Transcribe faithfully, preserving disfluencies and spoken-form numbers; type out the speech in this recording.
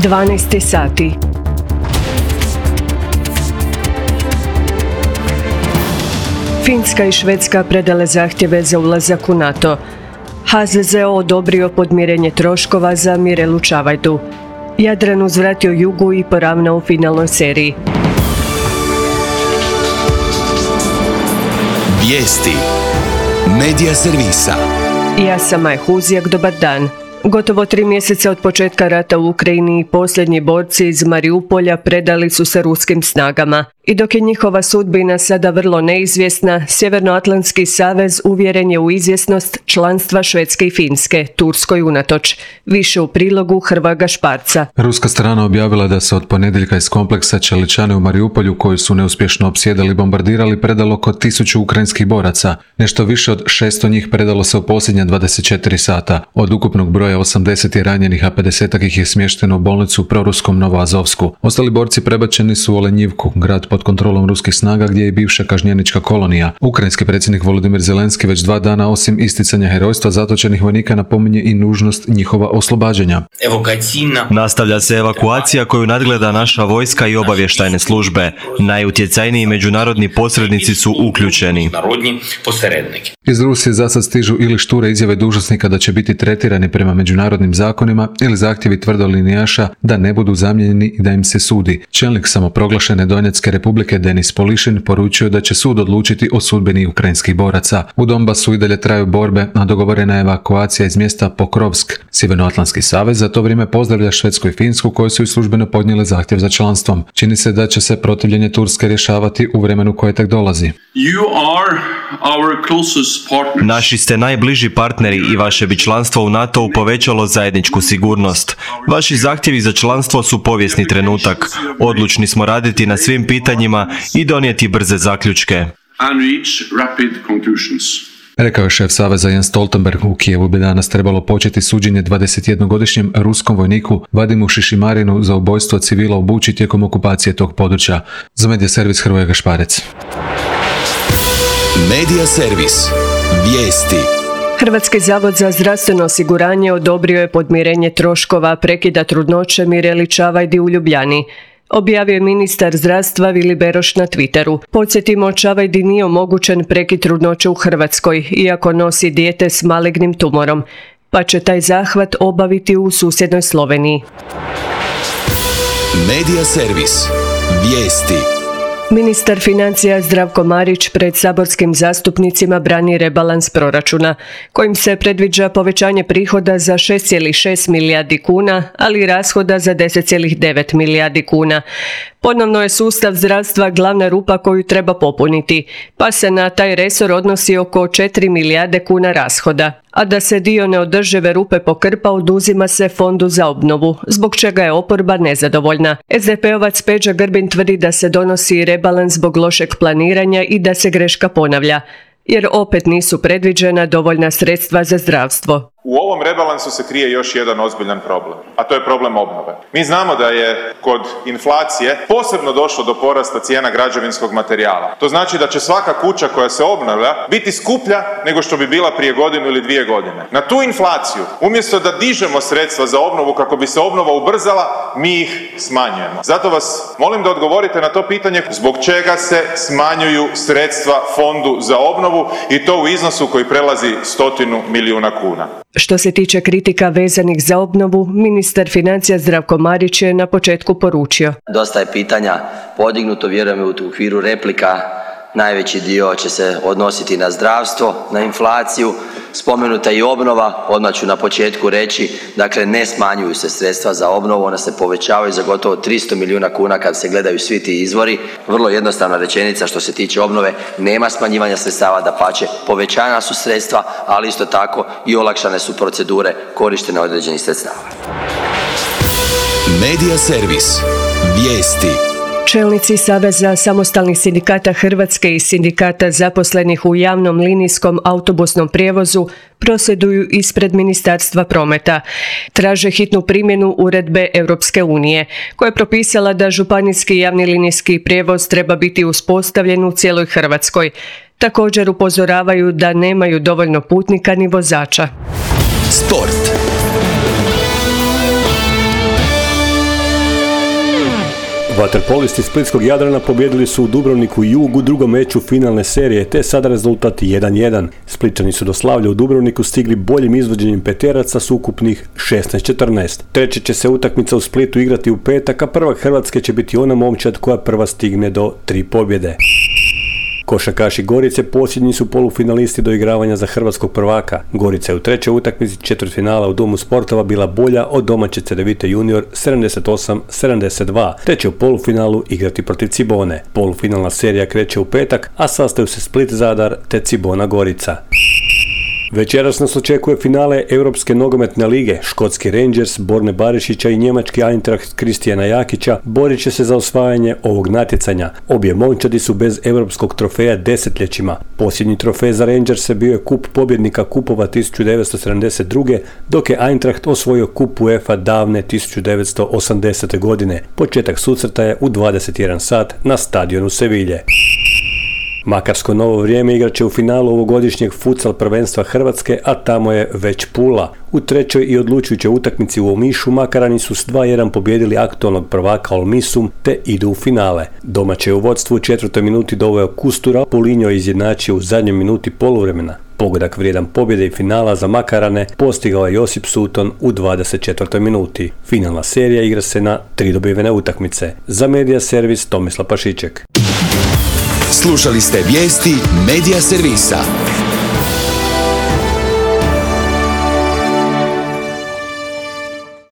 dvanaest sati. Finska i Švedska predale zahtjeve za ulazak u NATO. H Z Z O odobrio podmirenje troškova za Mirelu Čavajdu. Jadran uzvratio Jugu i poravnao u finalnoj seriji. Vijesti Medija servisa. Ja sam Maj Huzijak, dobar dan. Gotovo tri mjeseca od početka rata u Ukrajini posljednji borci iz Mariupolja predali su se ruskim snagama. I dok je njihova sudbina sada vrlo neizvjesna, Sjevernoatlantski savez uvjeren je u izvjesnost članstva Švedske i Finske, Turskoj unatoč. Više u prilogu Hrvoja Šparca. Ruska strana objavila da se od ponedjeljka iz kompleksa Čeličane u Mariupolju, koji su neuspješno opsjedali i bombardirali, predalo oko tisuću ukrajinskih boraca. Nešto više od šesto njih predalo se u posljednja dvadeset četiri sata. Od ukupnog broja osamdeset je ranjenih, a pedeset ih je smješteno u bolnicu u proruskom Novoazovsku. Ostali borci prebačeni su u Olenjivku, grad pod kontrolom ruskih snaga gdje je bivša kažnjenička kolonija. Ukrajinski predsjednik Volodymyr Zelenski već dva dana osim isticanja herojstva zatočenih vojnika napominje i nužnost njihova oslobađanja. Nastavlja se evakuacija koju nadgleda naša vojska i obavještajne službe. Najutjecajniji međunarodni posrednici su uključeni. Iz Rusije zasad stižu ili šture izjave dužnosnika da će biti tretirani prema međunarodnim zakonima ili zahtjevi tvrdolinijaša da ne budu zamijenjeni i da im se sudi. Čelnik samoproglašene Donjecke republike Denis Polišin poručio da će sud odlučiti o sudbini ukrajinskih boraca. U Donbasu i dalje traju borbe, a dogovorena je evakuacija iz mjesta Pokrovsk. Sjevernoatlantski savez za to vrijeme pozdravlja Švedsku i Finsku, koje su i službeno podnijele zahtjev za članstvom. Čini se da će se protivljenje Turske rješavati u vremenu koje tek dolazi. Naši ste najbliži partneri i vaše bi članstvo u NATO-u povećalo zajedničku sigurnost. Vaši zahtjevi za članstvo su povijesni trenutak. Odlučni smo raditi na svim pitanjima i donijeti brze zaključke. Rekao je šef saveza Jens Stoltenberg. U Kijevu bi danas trebalo početi suđenje dvadesetjednogodišnjem ruskom vojniku Vadimu Šišimarinu za ubojstvo civila u Buči tijekom okupacije tog područja. Za Medija servis Hrvoje Šparec. Medija servis. Vijesti. Hrvatski zavod za zdravstveno osiguranje odobrio je podmirenje troškova prekida trudnoće Mireli Čavajdi u Ljubljani. Objavio je ministar zdravstva Vili Beroš na Twitteru. Podsjetimo, Čavajdi nije omogućen prekid trudnoće u Hrvatskoj, iako nosi dijete s malignim tumorom, pa će taj zahvat obaviti u susjednoj Sloveniji. Medija servis. Vijesti. Ministar financija Zdravko Marić pred saborskim zastupnicima brani rebalans proračuna, kojim se predviđa povećanje prihoda za šest zarez šest milijardi kuna, ali i rashoda za deset zarez devet milijardi kuna. Ponovno je sustav zdravstva glavna rupa koju treba popuniti, pa se na taj resor odnosi oko četiri milijarde kuna rashoda. A da se dio neodržive rupe pokrpa, oduzima se Fondu za obnovu, zbog čega je oporba nezadovoljna. es de pe ovac Peđa Grbin tvrdi da se donosi rebalans zbog lošeg planiranja i da se greška ponavlja, jer opet nisu predviđena dovoljna sredstva za zdravstvo. U ovom rebalansu se krije još jedan ozbiljan problem, a to je problem obnove. Mi znamo da je kod inflacije posebno došlo do porasta cijena građevinskog materijala. To znači da će svaka kuća koja se obnavlja biti skuplja nego što bi bila prije godinu ili dvije godine. Na tu inflaciju, umjesto da dižemo sredstva za obnovu kako bi se obnova ubrzala, mi ih smanjujemo. Zato vas molim da odgovorite na to pitanje zbog čega se smanjuju sredstva Fondu za obnovu i to u iznosu koji prelazi stotinu milijuna kuna. Što se tiče kritika vezanih za obnovu, ministar financija Zdravko Marić je na početku poručio. Dosta je pitanja podignuto, vjerujem u okviru replika. Najveći dio će se odnositi na zdravstvo, na inflaciju, spomenuta i obnova. Odmah ću na početku reći, dakle ne smanjuju se sredstva za obnovu, ona se povećavaju za gotovo tristo milijuna kuna kad se gledaju svi ti izvori. Vrlo jednostavna rečenica što se tiče obnove, nema smanjivanja sredstava, dapače povećana su sredstva, ali isto tako i olakšane su procedure korištenja određenih sredstava. Medija servis. Vijesti. Čelnici Saveza samostalnih sindikata Hrvatske i sindikata zaposlenih u javnom linijskom autobusnom prijevozu prosvjeduju ispred Ministarstva prometa. Traže hitnu primjenu uredbe Europske unije, koja je propisala da županijski javni linijski prijevoz treba biti uspostavljen u cijeloj Hrvatskoj. Također upozoravaju da nemaju dovoljno putnika ni vozača. Sport. Vaterpolisti splitskog Jadrana pobijedili su u Dubrovniku Jug u drugom meču finalne serije, te sada rezultat jedan jedan. Spličani su do slavlja u Dubrovniku stigli boljim izvođenjem peteraca s ukupnih šesnaest četrnaest. Treća će se utakmica u Splitu igrati u petak, a prvak Hrvatske će biti ona momčad koja prva stigne do tri pobjede. Košarkaši Gorice posljednji su polufinalisti do igravanja za hrvatskog prvaka. Gorica je u trećoj utakmici četvrtfinala u Domu sportova bila bolja od domaće Cedevite junior sedamdeset osam sedamdeset dva, te će u polufinalu igrati protiv Cibone. Polufinalna serija kreće u petak, a sastaju se Split Zadar te Cibona Gorica. Večeras nas očekuje finale Europske nogometne lige. Škotski Rangers Borne Barišića i njemački Eintracht Kristijana Jakića borit će se za osvajanje ovog natjecanja. Obje momčadi su bez europskog trofeja desetljećima. Posljednji trofej za Rangerse bio je kup pobjednika kupova tisuću devetsto sedamdeset druge. dok je Eintracht osvojio kup UEFA davne tisuću devetsto osamdesete. godine. Početak susreta je u dvadeset jedan sat na stadionu Sevilje. Makarsko Novo Vrijeme igrat će u finalu ovogodišnjeg futsal prvenstva Hrvatske, a tamo je već Pula. U trećoj i odlučujućoj utakmici u Omišu Makarani su s dva jedan pobijedili aktualnog prvaka Olmisum te idu u finale. Domaće je u vodstvu u četvrtoj minuti doveo Kustura, Pulinjo je izjednačio u zadnjoj minuti poluvremena. Pogodak vrijedan pobjede i finala za Makarane postigao je Josip Suton u dvadeset četvrtoj minuti. Finalna serija igra se na tri dobivene utakmice. Za Medija servis Tomislav Pašiček. Slušali ste vijesti Medija servisa.